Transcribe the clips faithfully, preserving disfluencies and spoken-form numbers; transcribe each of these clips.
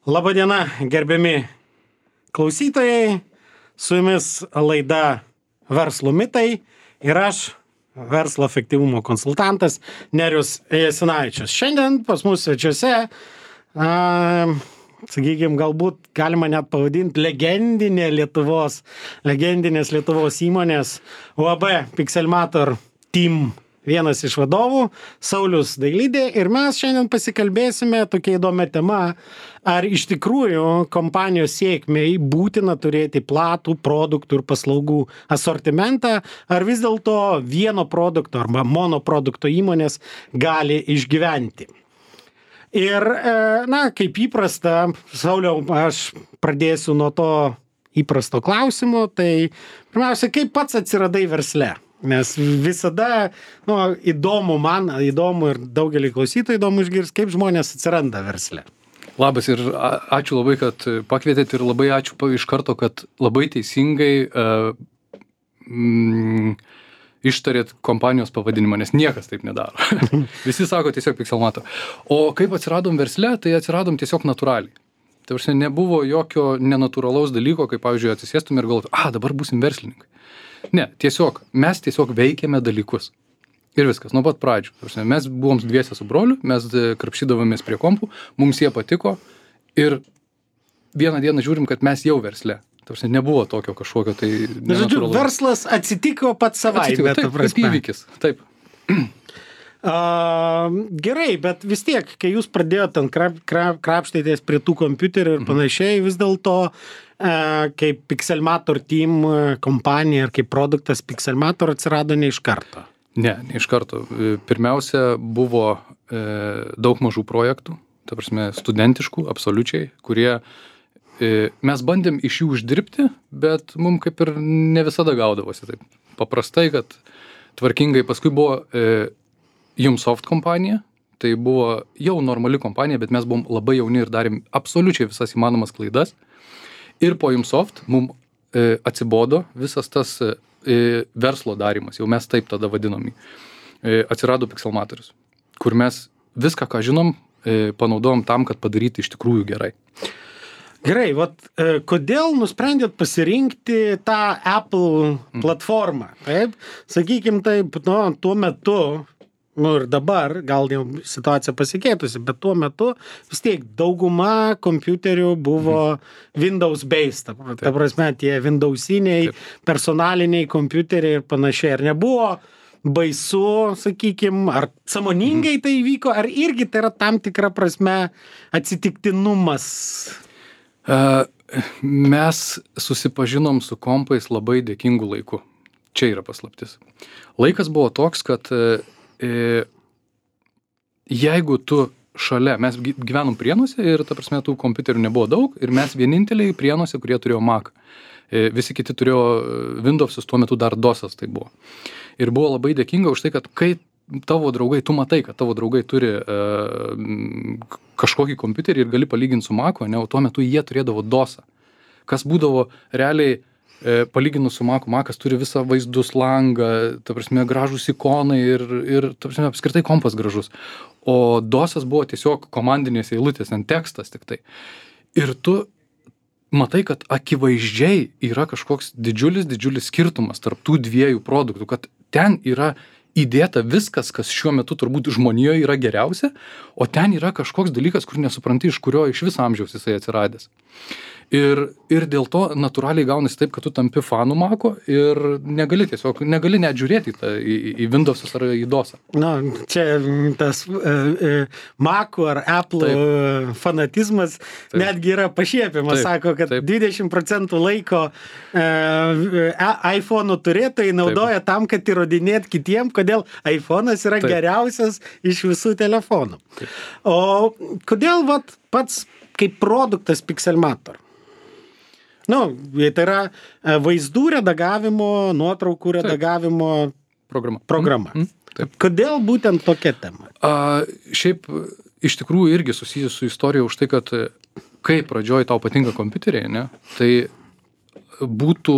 Labadiena, gerbiami klausytojai, su jumis laida Verslo mitai ir aš, verslo efektyvumo konsultantas Nerijus Jasinavičius. Šiandien pas mus svečiuose, a, sakykime, galbūt galima net pavadinti legendinė Lietuvos, legendinės Lietuvos įmonės U A B Pixelmator Team vienas iš vadovų, Saulius Dailidė, ir mes šiandien pasikalbėsime tokia įdomia tema, ar iš tikrųjų kompanijos sėkmei būtina turėti platų produktų ir paslaugų asortimentą, ar vis dėlto vieno produkto arba monoprodukto įmonės gali išgyventi. Ir, na, kaip įprasta, Sauliau, aš pradėsiu nuo to įprasto klausimo, tai pirmiausia, kaip pats atsiradai versle? Nes visada, nu, įdomu man, įdomu ir daugelį klausytojų įdomu išgirsti, kaip žmonės atsiranda versle. Labas ir ačiū labai, kad pakvietėt ir labai ačiū iš karto, kad labai teisingai uh, mm, ištarėt kompanijos pavadinimą, nes niekas taip nedaro. Visi sako tiesiog Pixelmator. O kaip atsiradom versle, tai atsiradom tiesiog natūraliai. Tai aš nebuvo jokio nenatūralaus dalyko, kaip, pavyzdžiui, atsisėstum ir galvotum, a, dabar būsim verslininkai. Ne, tiesiog, mes tiesiog veikiame dalykus. Ir viskas, nuo pat pradžių. Mes buvom dviese su broliu, mes krapšydavomės prie kompų, mums jie patiko ir vieną dieną žiūrim, kad mes jau versle. Tarsi nebuvo tokio kažkokio tai nenatūralaus. Verslas atsitiko pats savaime. Taip, kaip įvykis. Taip. Uh, gerai, bet vis tiek, kai jūs pradėjote ten krap, krap, krapštytis prie tų kompiuterių ir panašiai, vis dėlto uh, kaip Pixelmator Team kompanija ir kaip produktas Pixelmator atsirado ne iš karto. Ne, ne iš karto. Pirmiausia, buvo e, daug mažų projektų, ta prasme studentiškų, absoliučiai, kurie e, mes bandėm iš jų uždirbti, bet mums kaip ir ne visada gaudavosi taip. Paprastai, kad tvarkingai paskui buvo e, Jumsoft kompanija, tai buvo jau normali kompanija, bet mes buvom labai jauni ir darėm absoliučiai visas įmanomas klaidas. Ir po Jumsoft mums e, atsibodo visas tas e, verslo darymas, jau mes taip tada vadinom jį. E, atsirado Pixelmatorius, kur mes viską, ką žinom, e, panaudojom tam, kad padaryti iš tikrųjų gerai. Gerai, vat, e, kodėl nusprendėt pasirinkti tą Apple platformą? Taip, sakykim taip, nu, tuo metu, nu ir dabar, gal jau situacija pasikeitusi, bet tuo metu vis tiek dauguma kompiuterių buvo Windows-based, ta, ta prasme, tie Windowsiniai, Taip. personaliniai kompiuteriai ir panašiai. Ar nebuvo baisu, sakykim, ar sąmoningai tai įvyko, ar irgi tai yra tam tikra prasme atsitiktinumas? Uh, mes susipažinom su kompais labai dėkingu laiku. Čia yra paslaptis. Laikas buvo toks, kad uh, E, jeigu tu šalia, mes gyvenom Prienuose ir, ta prasme, tų kompiuterių nebuvo daug ir mes vieninteliai Prienuose, kurie turėjo Mac. E, visi kiti turėjo Windowsus, tuo metu dar DOSas tai buvo. Ir buvo labai dėkinga už tai, kad kai tavo draugai, tu matai, kad tavo draugai turi e, kažkokį kompiuterį ir gali palyginti su Mac'u, ne, o tuo metu jie turėdavo DOSą. Kas būdavo realiai palyginus su Mac'u, Mac'as turi visą vaizdus langą, ta prasme, gražus ikonai ir, ir ta prasme, apskritai kompas gražus. O DOSas buvo tiesiog komandinės eilutės, ant tekstas tik tai. Ir tu matai, kad akivaizdžiai yra kažkoks didžiulis, didžiulis skirtumas tarp tų dviejų produktų, kad ten yra įdėta viskas, kas šiuo metu turbūt žmonijoje yra geriausia, o ten yra kažkoks dalykas, kur nesupranti, iš kurio iš viso amžiaus jisai atsiradęs. Ir, ir dėl to natūraliai gaunasi taip, kad tu tampi fanų Mac'o ir negali tiesiog, negali net žiūrėti į, tą, į, į Windows'us ar į DOSą. Na, čia tas uh, Mac'o ar Apple taip. fanatizmas taip. netgi yra pašiepiamas. Sako, kad taip. dvidešimt procentų laiko uh, iPhone'ų turėtojai naudoja taip. tam, kad įrodinėt kitiem, kodėl iPhone'as yra taip. geriausias iš visų telefonų. Taip. O kodėl vat, pats kaip produktas Pixelmator? Nu, tai yra vaizdų redagavimo, nuotraukų redagavimo programa. programa. Mm, mm, Kodėl būtent tokia tema? A, šiaip iš tikrųjų irgi susijęs su istorija už tai, kad kai pradžioj tau patinka kompiuteriai, ne, tai būtų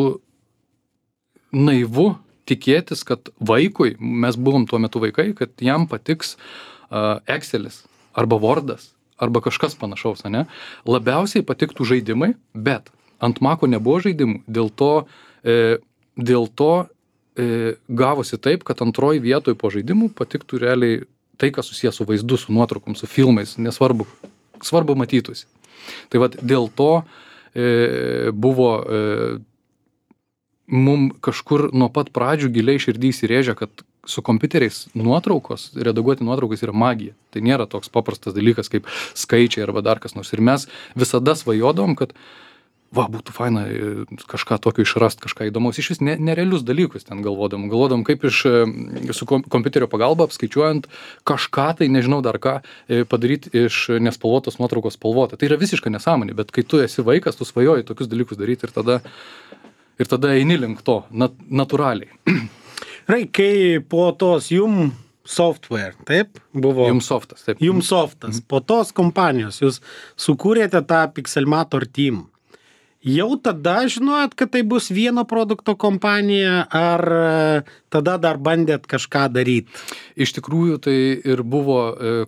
naivu tikėtis, kad vaikui, mes buvom tuo metu vaikai, kad jam patiks uh, Excelis arba Wordas arba kažkas panašaus, ane? Labiausiai patiktų žaidimai, bet ant Mako nebuvo žaidimų, dėl to, e, dėl to e, gavosi taip, kad antroji vietoje po žaidimų patiktų realiai tai, kas susijęs su vaizdu, su nuotraukom, su filmais, nesvarbu, svarbu matytųsi. Tai vat dėl to e, buvo e, mum kažkur nuo pat pradžių giliai širdį įsirėžė, kad su kompiuteriais nuotraukos, redaguoti nuotraukas yra magija. Tai nėra toks paprastas dalykas kaip skaičiai arba dar kas nors. Ir mes visada svajodom, kad va, būtų faina kažką tokio išrast, kažką įdomaus. Iš vis ne, nerealius dalykus ten galvodom. Galvodom, kaip iš su kompiuterio pagalba apskaičiuojant kažką, tai nežinau dar ką, padaryti iš nespalvotos nuotraukos spalvotą. Tai yra visiška nesąmonė, bet kai tu esi vaikas, tu svajoji tokius dalykus daryti ir tada, ir tada eini link to, nat, natūraliai. Rai, kai po tos Jum Software, taip, buvo... Jum Softas, taip. Jum Softas, mm. po tos kompanijos jūs sukūrėte tą Pixelmator team. Jau tada žinojot, kad tai bus vieno produkto kompanija, ar tada dar bandėt kažką daryti? Iš tikrųjų, tai ir buvo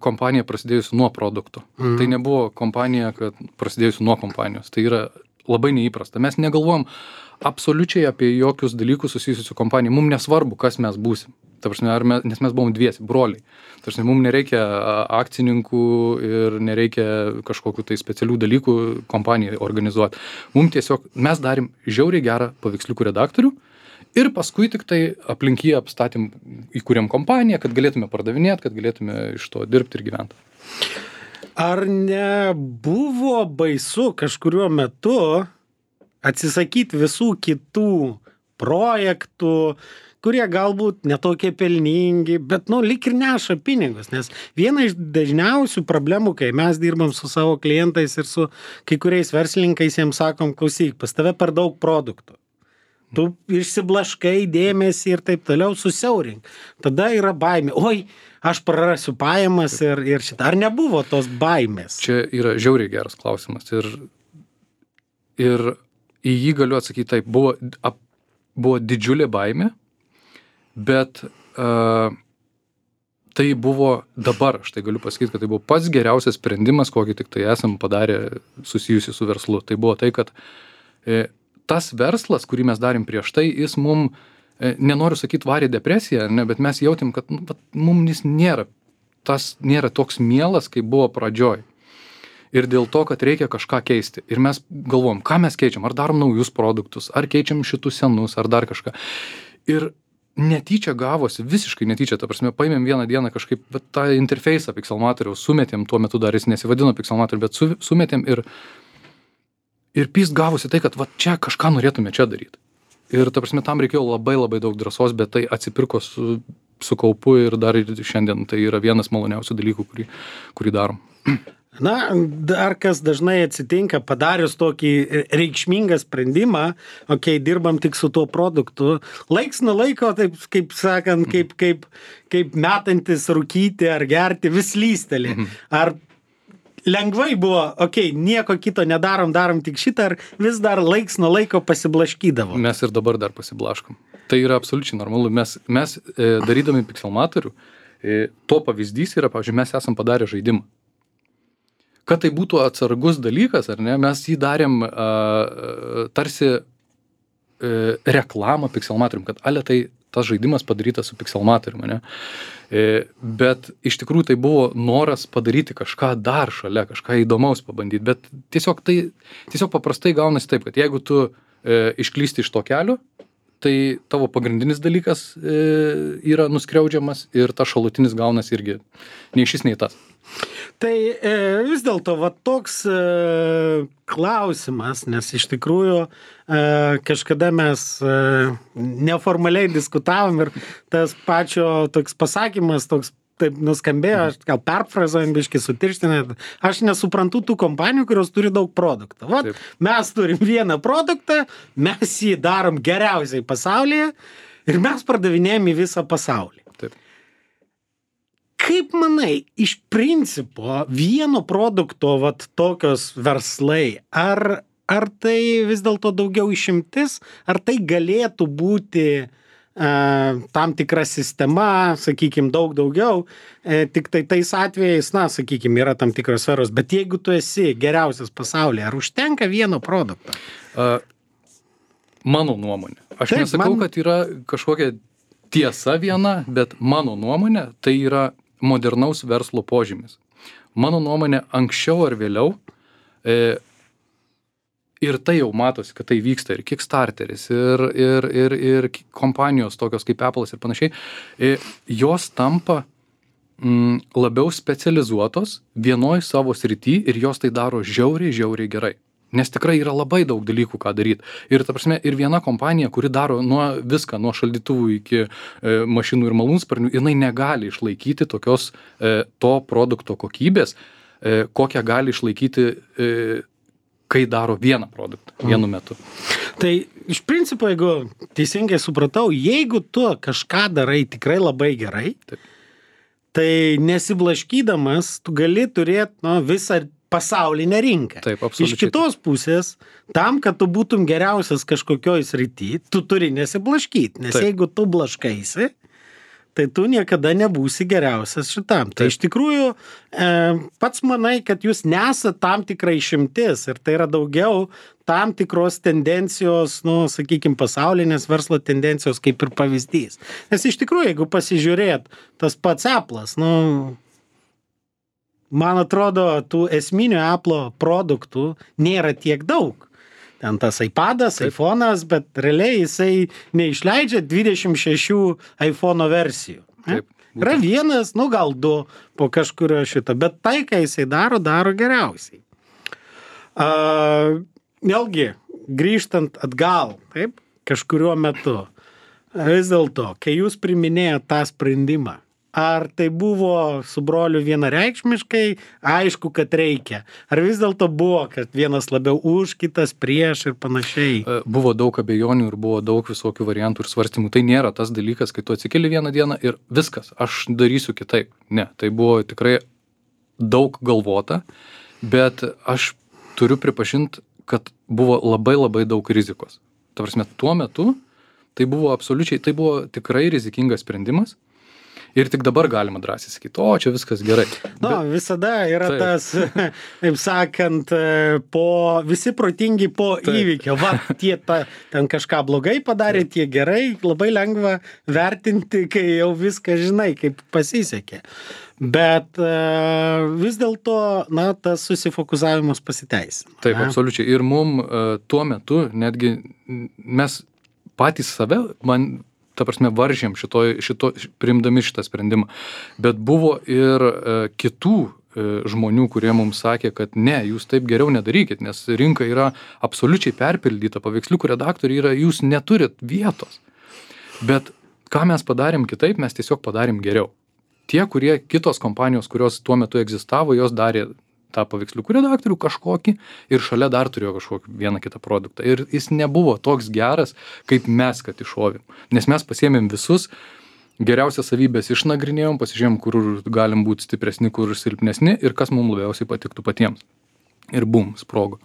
kompanija prasidėjusi nuo produkto. Mm. Tai nebuvo kompanija, kad prasidėjusi nuo kompanijos. Tai yra labai neįprasta. Mes negalvojom absoliučiai apie jokius dalykus susijusius su kompanija. Mums nesvarbu, kas mes būsim. Ta prasme, ar mes, nes mes buvom dviesi, broliai. Ta prasme, mums nereikia akcininkų ir nereikia kažkokių tai specialių dalykų kompanijai organizuoti. Mums tiesiog, mes darim žiauriai gerą paveiksliukų redaktorių ir paskui tik tai aplink jį apstatėm, įkūrėm kompaniją, kad galėtume pardavinėti, kad galėtume iš to dirbti ir gyventi. Ar nebuvo baisu kažkuriuo metu atsisakyti visų kitų projektų, kurie galbūt netokie pelningi, bet, nu, lyg ir neša pinigus, nes viena iš dažniausių problemų, kai mes dirbam su savo klientais ir su kai kuriais verslininkais, jiems sakom, klausyk, pas tave per daug produktų. Tu išsiblaškai dėmesį ir taip toliau, susiaurink. Tada yra baimė. Oi, aš prarasiu pajamas ir, ir šitą. Ar nebuvo tos baimės? Čia yra žiauriai geras klausimas. Ir, ir į jį galiu atsakyti taip. Buvo, ap, buvo didžiulė baimė, bet uh, tai buvo dabar, aš tai galiu pasakyti, kad tai buvo pats geriausias sprendimas, kokį tik tai esam padarę susijusi su verslu. Tai buvo tai, kad e, tas verslas, kurį mes darėm prieš tai, jis mum, e, nenoriu sakyti varė depresiją, ne, bet mes jautėm, kad nu, mum jis nėra, tas nėra toks mielas, kaip buvo pradžioj. Ir dėl to, kad reikia kažką keisti. Ir mes galvom, ką mes keičiam, ar darom naujus produktus, ar keičiam šitus senus, ar dar kažką. Ir netyčia gavosi, visiškai netyčia, ta prasme, paėmėm vieną dieną kažkaip bet, tą interfeisą Pixelmatoriaus, sumetėm, tuo metu dar jis nesivadino Pixelmatoriu, bet su, sumetėm ir, ir pys gavosi tai, kad va, čia kažką norėtume čia daryti. Ir ta prasme, tam reikėjo labai labai daug drąsos, bet tai atsipirko su, su kaupu ir dar ir šiandien tai yra vienas maloniausių dalykų, kurį, kurį darom. Na, dar kas dažnai atsitinka, padarius tokį reikšmingą sprendimą, okei, okay, dirbam tik su tuo produktu, laiks nuo laiko, taip, kaip sakant, kaip, kaip, kaip metantis rūkyti ar gerti, vis lysteli. Ar lengvai buvo, okei, okay, nieko kito nedarom, darom tik šitą, ar vis dar laiks nuo laiko pasiblaškydavo? Mes ir dabar dar pasiblaškom. Tai yra absoliučiai normalu. Mes, mes e, darydami Pixelmatorių, e, to pavyzdys yra, pavyzdžiui, mes esam padarę žaidimą. Kad tai būtų atsargus dalykas, ar ne, mes jį darėm a, tarsi e, reklamą Pixelmatorium, kad ale tai tas žaidimas padarytas su Pixelmatorium, ne? E, bet iš tikrųjų tai buvo noras padaryti kažką dar šalia, kažką įdomaus pabandyti, bet tiesiog tai, tiesiog paprastai gaunasi taip, kad jeigu tu e, išklysti iš to kelio, tai tavo pagrindinis dalykas e, yra nuskriaudžiamas ir tas šalutinis gaunas irgi nei šis, nei tas. Tai e, vis dėlto va toks e, klausimas, nes iš tikrųjų e, kažkada mes e, neformaliai diskutavom ir tas pačio toks pasakymas, toks taip nuskambėjo, aš gal perfrazuojant biškį sutirštinant, aš nesuprantu tų kompanijų, kurios turi daug produktų. Vat, taip. Mes turim vieną produktą, mes jį darom geriausiai pasaulyje ir mes pardavinėjame į visą pasaulį. Taip. Kaip manai, iš principo vieno produkto vat tokios verslai, ar, ar tai vis dėlto daugiau išimtis, ar tai galėtų būti tam tikra sistema, sakykime, daug daugiau, tik tai tais atvejais, na, sakykime, yra tam tikros sferos, bet jeigu tu esi geriausias pasaulyje, ar užtenka vieno produkto? Uh, mano nuomonė. Aš Taip, nesakau, man... kad yra kažkokia tiesa viena, bet mano nuomonė tai yra modernaus verslo požymis. Mano nuomonė, anksčiau ar vėliau, e, ir tai jau matosi, kad tai vyksta ir Kickstarteris, ir, ir, ir, ir kompanijos tokios kaip Apple'as ir panašiai, jos tampa mm, labiau specializuotos vienoj savo srity ir jos tai daro žiauriai, žiauriai gerai. Nes tikrai yra labai daug dalykų, ką daryti. Ir, ta prasme, ir viena kompanija, kuri daro nuo viską, nuo šaldytuvų iki e, mašinų ir malūnsparnių, jinai negali išlaikyti tokios e, to produkto kokybės, e, kokią gali išlaikyti e, kai daro vieną produktą, vienu metu. Tai iš principo, jeigu teisingai supratau, jeigu tu kažką darai tikrai labai gerai, Taip. Tai nesiblaškydamas, tu gali turėti nu, visą pasaulinę rinką. Taip, iš kitos pusės, tam, kad tu būtum geriausias kažkokioj srity, tu turi nesiblaškyti, nes Taip. Jeigu tu blaškaisi, tai tu niekada nebūsi geriausias šitam. Tai iš tikrųjų, e, pats manai, kad jūs nesat tam tikrai išimtis ir tai yra daugiau tam tikros tendencijos, nu, sakykime, pasaulinės verslo tendencijos kaip ir pavyzdys. Nes iš tikrųjų, jeigu pasižiūrėt, tas pats Apple'as, nu, man atrodo, tų esminių Apple produktų nėra tiek daug. Ten tas iPadas, Taip. iPhone'as, bet realiai jisai neišleidžia dvidešimt šešių iPhone'o versijų. Taip. Yra vienas, nu gal du po kažkurio šito, bet tai, ką jisai daro, daro geriausiai. Uh, vėlgi, grįžtant atgal, taip, kažkuriuo metu, vis dėlto, kai jūs priminėjot tą sprendimą, ar tai buvo su broliu vienareikšmiškai, aišku, kad reikia. Ar vis dėlto buvo, kad vienas labiau už, kitas prieš ir panašiai? Buvo daug abejonių ir buvo daug visokių variantų ir svarstymų. Tai nėra tas dalykas, kai tu atsikeli vieną dieną ir viskas, aš darysiu kitaip. Ne, tai buvo tikrai daug galvota, bet aš turiu pripažinti, kad buvo labai labai daug rizikos. Ta prasme, tuo metu tai buvo absoliučiai, tai buvo tikrai rizikingas sprendimas. Ir tik dabar galima drąsiai sakyti, o čia viskas gerai. Nu, Bet, visada yra taip. tas, taip sakant, po, visi protingi po taip. įvykio. Va, tie ta, ten kažką blogai padarė, taip. tie gerai, labai lengva vertinti, kai jau viską žinai, kaip pasisekė. Bet uh, vis dėlto, na, tas susifokusavimas pasiteisino. Taip, ne? Absoliučiai. Ir mum uh, tuo metu netgi mes patys save, man ta prasme, varžėm šito, šito, priimdami šitą sprendimą. Bet buvo ir e, kitų e, žmonių, kurie mums sakė, kad ne, jūs taip geriau nedarykit, nes rinka yra absoliučiai perpildyta, paveiksliukų redaktoriai yra, jūs neturit vietos. Bet ką mes padarėm kitaip, mes tiesiog padarėm geriau. Tie, kurie kitos kompanijos, kurios tuo metu egzistavo, jos darė tą paveiksliukų redaktorių kažkokį ir šalia dar turėjo kažkokį vieną kitą produktą. Ir jis nebuvo toks geras, kaip mes, kad iššovėm. Nes mes pasiėmėm visus, geriausias savybės išnagrinėjom, pasižiūrėjom, kur galim būti stipresni, kur silpnesni ir kas mums labiausiai patiktų patiems. Ir bum, sprogo.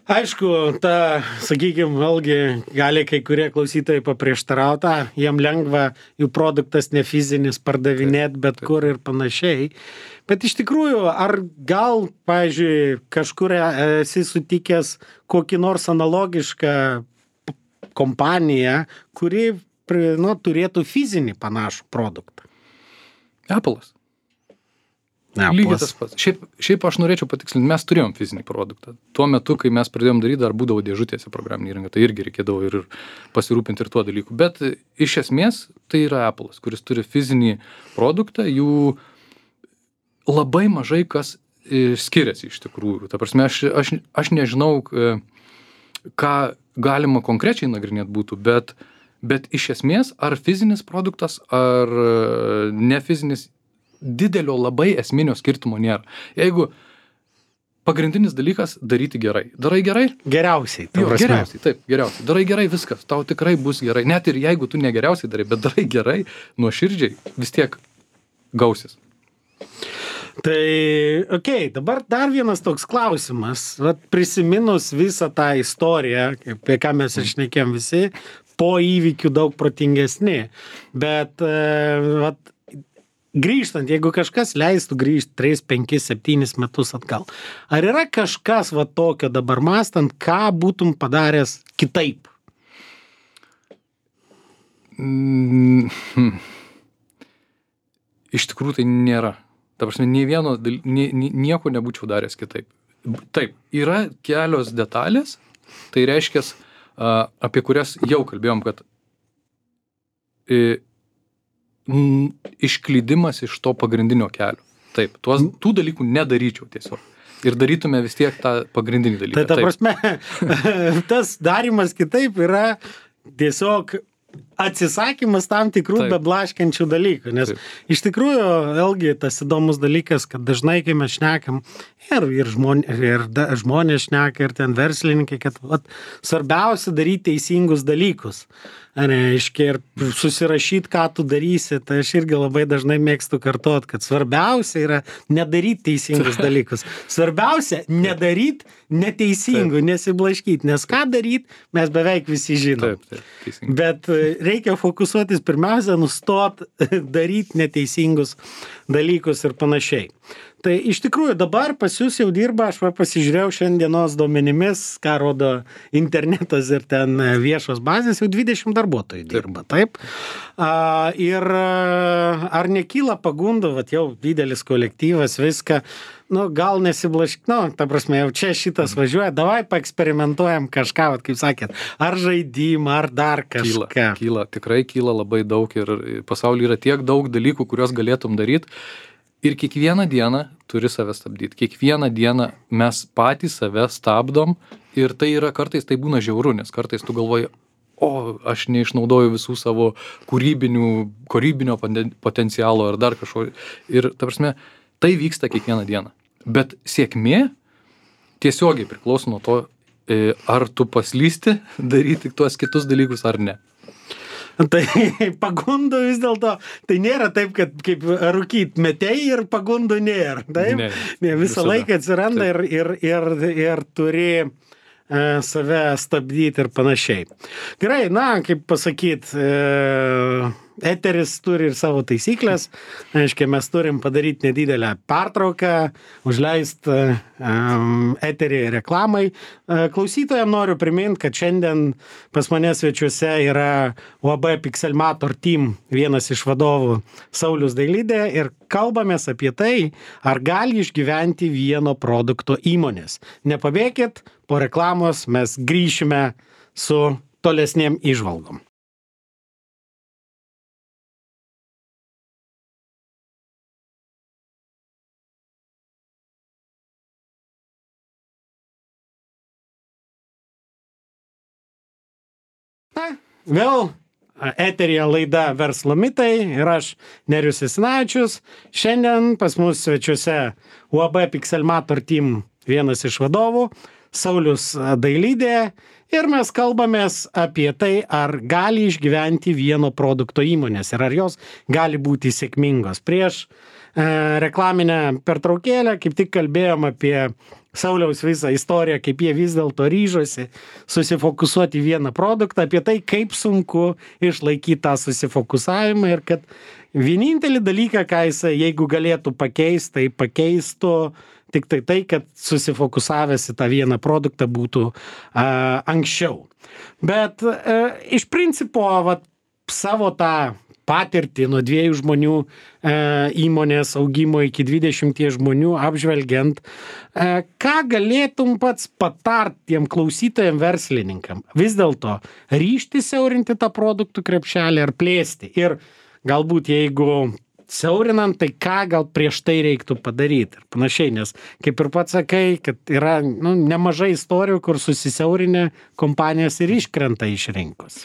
Aišku, ta, sakykime, vėlgi gali kai kurie klausytojai paprieštarauti, jiem lengva, jų produktas ne fizinis pardavinėti bet taip. Kur ir panašiai. Bet iš tikrųjų, ar gal, pavyzdžiui, kažkur esi sutikęs kokį nors analogišką kompaniją, kuri nu, turėtų fizinį panašų produktą? Apple'as. Lygiai tas pats. Šiaip, šiaip aš norėčiau patikslinti, mes turėjom fizinį produktą. Tuo metu, kai mes pradėjom daryti, dar būdavo dėžutėse programinė įranga, tai irgi reikėdavo ir pasirūpinti ir tuo dalyku. Bet iš esmės tai yra Apple'as, kuris turi fizinį produktą, jų labai mažai kas skiriasi iš tikrųjų. Ta prasme, aš, aš, aš nežinau, ką galima konkrečiai nagrinėti būtų, bet, bet iš esmės ar fizinis produktas, ar ne fizinis, didelio labai esminio skirtumo nėra. Jeigu pagrindinis dalykas daryti gerai. Darai gerai? Geriausiai. Jo, geriausiai, taip, geriausiai. Darai gerai viskas, tau tikrai bus gerai. Net ir jeigu tu negeriausiai darai, bet darai gerai, nuoširdžiai, vis tiek gausis. Tai, okei, okay, dabar dar vienas toks klausimas. Vat prisiminus visą tą istoriją, apie ką mes ir šnekėjom visi, po įvykių daug protingesni. Bet, vat, grįžtant, jeigu kažkas leistų grįžti tris, penkis, septynis metus atgal, ar yra kažkas va tokio dabar mąstant, ką būtum padaręs kitaip? Mm, hmm. Iš tikrųjų tai nėra. Ta prasme, nei vieno, nie, nieko nebūčiau daręs kitaip. Taip, yra kelios detalės, tai reiškia, apie kurias jau kalbėjom, kad išklydimas iš to pagrindinio kelio. Taip, tuos, tų dalykų nedaryčiau tiesiog. Ir darytume vis tiek tą pagrindinį dalyką. Tai ta prasme, tas darymas kitaip yra tiesiog atsisakymas tam tikrų Taip. beblaškančių dalykų. Nes Taip. iš tikrųjų, vėlgi, tas įdomus dalykas, kad dažnai, kai mes šnekam, ir, ir, žmonė, ir da, žmonės šneka, ir ten verslininkai, kad vat, svarbiausia daryti teisingus dalykus. Reiškia, ir susirašyti, ką tu darysi, tai aš irgi labai dažnai mėgstu kartuot, kad svarbiausia yra nedaryti teisingus dalykus. Svarbiausia nedaryti neteisingų, nesiblaškyti, nes ką daryti mes beveik visi žinom. Taip, taip, teisingai. Bet reikia fokusuotis pirmiausia, nustot daryti neteisingus dalykus ir panašiai. Tai iš tikrųjų dabar pas jūs jau dirba, aš va pasižiūrėjau šiandienos duomenimis, ką rodo internetas ir ten viešos bazės, jau dvidešimt darbuotojų dirba, taip? A, ir ar nekyla pagundų, vat jau didelis kolektyvas, viską, nu gal nesiblašk, nu, ta prasme, jau čia šitas važiuoja, davai paeksperimentuojam kažką, vat kaip sakėt, ar žaidimą, ar dar kažką. Kyla, kyla, tikrai kyla labai daug ir pasaulyje yra tiek daug dalykų, kuriuos galėtum daryti. Ir kiekvieną dieną turi save stabdyti. Kiekvieną dieną mes patys save stabdom ir tai yra kartais tai būna žiauru, nes kartais tu galvoji, o aš neišnaudoju visų savo kūrybinių, kūrybinio potencialo ar dar kažko. Ir ta prasme, tai vyksta kiekvieną dieną. Bet sėkmė tiesiogiai priklauso nuo to, ar tu paslysti daryti tuos kitus dalykus ar ne. Tai pagundų vis dėlto, tai nėra taip, kad kaip rūkyt metei ir pagundų nėra. Taip? Ne, ne, visą visada. laiką atsiranda ir, ir, ir, ir turi e, save stabdyti ir panašiai. Gerai, na, kaip pasakyt, e, eteris turi ir savo taisyklės. Aiškiai, mes turim padaryti nedidelę pertrauką, užleisti um, eterį reklamai. Uh, klausytojams noriu priminti, kad šiandien pas mane svečiuose yra U A B Pixelmator Team vienas iš vadovų Saulius Dailidė ir kalbamės apie tai, ar gali išgyventi vieno produkto įmonės. Nepabėkit, po reklamos mes grįšime su tolesnėm įžvalgom. Na, vėl eteryje laida Verslo mitai ir aš Nerijus Jasinavičius. Šiandien pas mus svečiuose U A B Pixelmator Team vienas iš vadovų, Saulius Dailidė. Ir mes kalbamės apie tai, ar gali išgyventi vieno produkto įmonės ir ar jos gali būti sėkmingos. Prieš e, reklaminę pertraukėlę kaip tik kalbėjom apie Sauliaus visą istoriją, kaip jie vis dėlto ryžosi susifokusuoti vieną produktą, apie tai, kaip sunku išlaikyti tą susifokusavimą ir kad vienintelį dalyką, ką jis, jeigu galėtų pakeisti, tai pakeistų tik tai tai, kad susifokusavęs į tą vieną produktą būtų a, anksčiau. Bet a, iš principo vat, savo tą patirtį nuo dviejų žmonių e, įmonės augimo iki dvidešimties žmonių apžvelgiant, e, ką galėtum pats patart tiem klausytojam verslininkam? Vis dėlto ryžti siaurinti tą produktų krepšelį ar plėsti? Ir galbūt jeigu siaurinant, tai ką gal prieš tai reiktų padaryti ir panašiai, nes kaip ir pats sakai, kad yra nu, nemažai istorijų, kur susisiaurinę kompanijos ir iškrenta iš rinkos.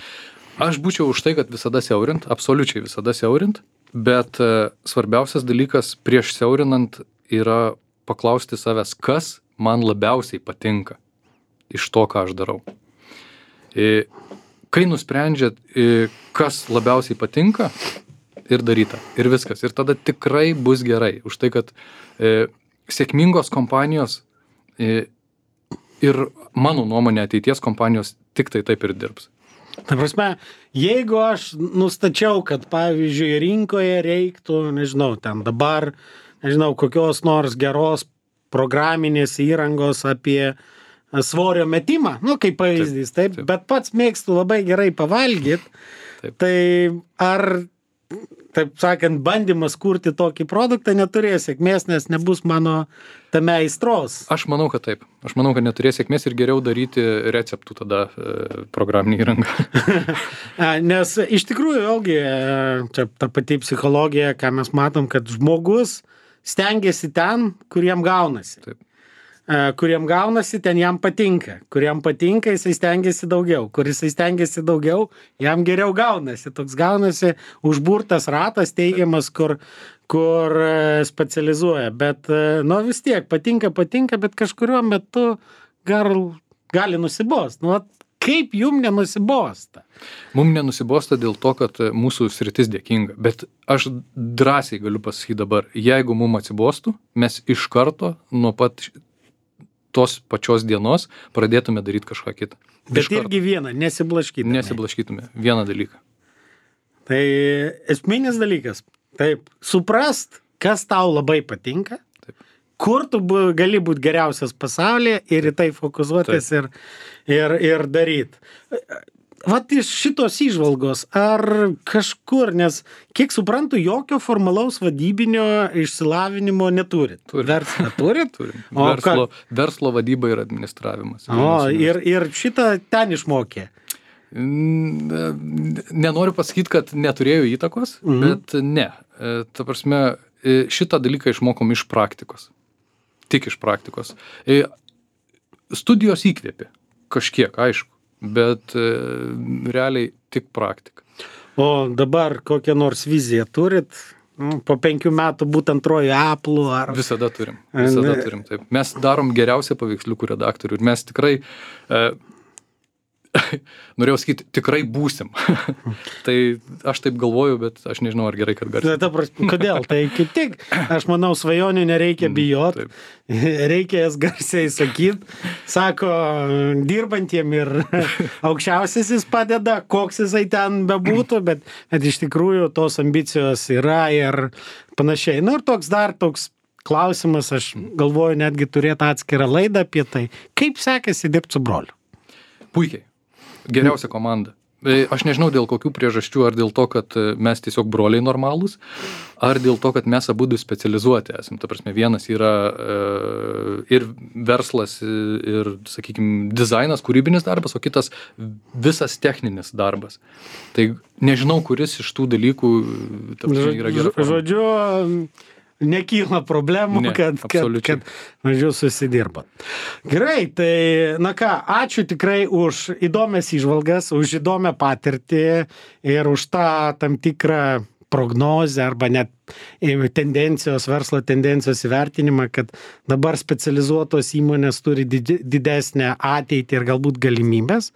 Aš būčiau už tai, kad visada siaurint, absoliučiai visada siaurint, bet e, svarbiausias dalykas prieš siaurinant yra paklausti savęs, kas man labiausiai patinka iš to, ką aš darau. E, kai nusprendžiat, e, kas labiausiai patinka, ir daryta, ir viskas. Ir tada tikrai bus gerai. Už tai, kad e, sėkmingos kompanijos e, ir mano nuomonė ateities kompanijos tik tai taip ir dirbs. Ta prasme, jeigu aš nustačiau, kad pavyzdžiui rinkoje reiktų, nežinau, ten dabar, nežinau, kokios nors geros programinės įrangos apie svorio metimą, nu, kaip pavyzdys, taip, taip, taip. Bet pats mėgstu labai gerai pavalgyti, tai ar, taip sakant, bandymas kurti tokį produktą neturės sėkmės, nes nebus mano tame aistros? Aš manau, kad taip. Aš manau, kad neturės sėkmės ir geriau daryti receptų tada e, programinį įrangą. Nes iš tikrųjų, vėlgi, čia ta pati psichologija, ką mes matom, kad žmogus stengiasi ten, kur jam gaunasi. Taip. Kuriem gaunasi, ten jam patinka. Kuriem patinka, jisai stengiasi daugiau. Kur jisai stengiasi daugiau, jam geriau gaunasi. Toks gaunasi užburtas ratas teigiamas, kur, kur specializuoja. Bet, nu, vis tiek, patinka, patinka, bet kažkuriuo metu gal, gali nusibost. Nu, kaip jum nenusibosta? Mum nenusibosta dėl to, kad mūsų sritis dėkinga. Bet aš drąsiai galiu pasakyti dabar, jeigu mum atsibostų, mes iš karto nuo pat tos pačios dienos pradėtume daryti kažką kitą. Bet irgi vieną, nesiblaškytume. Nesiblaškytume, vieną dalyką. Tai esminis dalykas, taip, suprast, kas tau labai patinka, taip. Kur tu bu, gali būti geriausias pasaulyje ir į tai fokusuotis ir, ir, ir daryti. Vat iš šitos įžvalgos, ar kažkur, nes kiek suprantu, jokio formalaus vadybinio išsilavinimo neturit. Turim. Verslą turit? Turim. Verslo, verslo vadyba ir administravimas. O, ir, ir šitą ten išmokė? Nenoriu pasakyti, kad neturėjo įtakos, mhm. bet ne. Ta prasme, šitą dalyką išmokom iš praktikos. Tik iš praktikos. Studijos įkvėpė. Kažkiek, aišku. Bet e, realiai tik praktika. O dabar kokią nors viziją turit? Nu, po penkių metų būt antroju Apple ar... Visada turim. Visada ne. turim, taip. Mes darom geriausią paveiksliukų redaktorių ir mes tikrai... E, norėjau sakyti, tikrai būsim. Tai aš taip galvoju, bet aš nežinau, ar gerai, kad garsiai. Ta prasme, kodėl? Tai kaip tik, aš manau, svajonių nereikia bijot, reikia jas garsiai sakyti. Sako, dirbantiem ir aukščiausiasis padeda, koks jisai ten bebūtų, bet, bet iš tikrųjų tos ambicijos yra ir panašiai. Na ir toks dar toks klausimas, aš galvoju netgi turėti atskirą laidą apie tai, kaip sekasi dirbti su broliu. Puikiai. Geriausia komanda. Aš nežinau dėl kokių priežasčių, ar dėl to, kad mes tiesiog broliai normalūs, ar dėl to, kad mes abudu specializuoti esam. Ta prasme, vienas yra e, ir verslas, ir, sakykime, dizainas, kūrybinis darbas, o kitas visas techninis darbas. Tai nežinau, kuris iš tų dalykų ta prasme, yra gera forma. Žodžiu, nekyla problemų, ne, kad, kad, kad mažiau susidirbat. Gerai, tai, na ką, ačiū tikrai už įdomias įžvalgas, už įdomią patirtį ir už tą tam tikrą prognozę arba net tendencijos, verslo tendencijos įvertinimą, kad dabar specializuotos įmonės turi didesnę ateitį ir galbūt galimybės.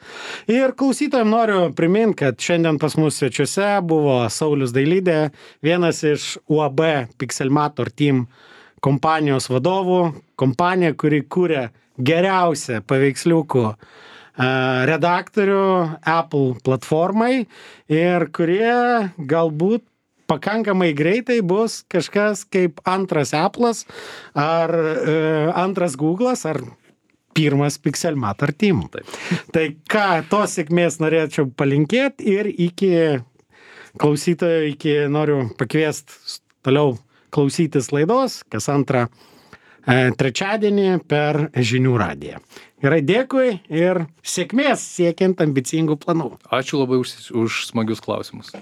Ir klausytojams noriu priminti, kad šiandien pas mus svečiuose buvo Saulius Dailidė, vienas iš U A B Pixelmator Team kompanijos vadovų, kompanija, kuri kūrė geriausią paveiksliukų redaktorių Apple platformai ir kurie galbūt pakankamai greitai bus kažkas kaip antras Apple'as ar e, antras Google'as ar pirmas Pixelmator Team. Taip. Tai ką, tos sėkmės norėčiau palinkėti ir iki klausytojo, iki noriu pakviesti toliau klausytis laidos, kas antrą e, trečiadienį per Žinių radiją. Gerai, dėkui ir sėkmės siekiant ambicingų planų. Ačiū labai už, už smagius klausimus.